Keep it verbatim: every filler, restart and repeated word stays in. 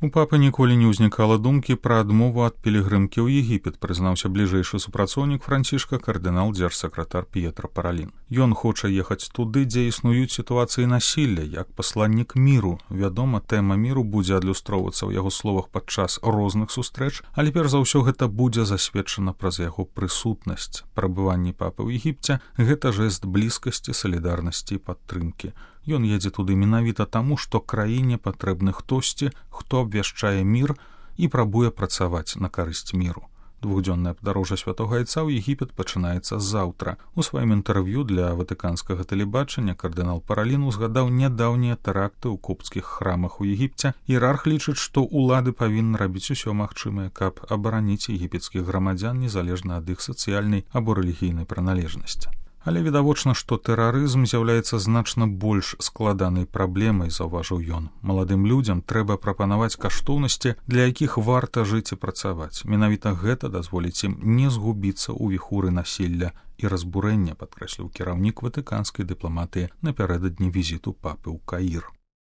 У папы ніколі не ўзнікала думкі пра адмову ад пілігрымкі ў Егіпет, прызнаўся бліжэйшы супрацоўнік Францішка кардынал дзяржсакратар П'етра Паралін. Ён хоча ехаць туды, дзе існуюць сітуацыі насілля, як пасланнік міру. Вядома, тэма міру будзе адлюстроўвацца ў яго словах падчас розных сустрэч, але перш за ўсё гэта будзе засведчана праз яго прысутнасць. Прабыванне папы ў Егіпце – гэта жэст блізкасці, салідарнасці і падтрымкі. Ён едзе туды менавіта таму, што краіне патрэбны хтосьці, хто абвяшчае мір і прабуе працаваць на карысць міру. Двухдзённае падарожжа святога айца ў Егіпет пачынаецца заўтра. У сваім інтэрв'ю для ватыканскага тэлебачання кардынал Паралін узгадаў нядаўнія тэракты ў копцкіх храмах у Егіпце. Іерарх лічыць, што ўлады павінны рабіць усё магчымае, каб абараніць егіпецкіх грамадзян незалежна ад іх сацыяльнай або рэлігійнай прыналежнасці. Але відавочна, што тэрарызм з'яўляецца значна больш складанай праблемай, заўважыў ён. Маладым людзям трэба прапанаваць каштоўнасці, для якіх варта жыць і працаваць. Менавіта гэта дазволіць ім не згубіцца ў віхуры насілля і разбурэння, падкрэсліў кіраўнік ватыканскай дыпламатыі напярэдадні візіту папы ў Каір.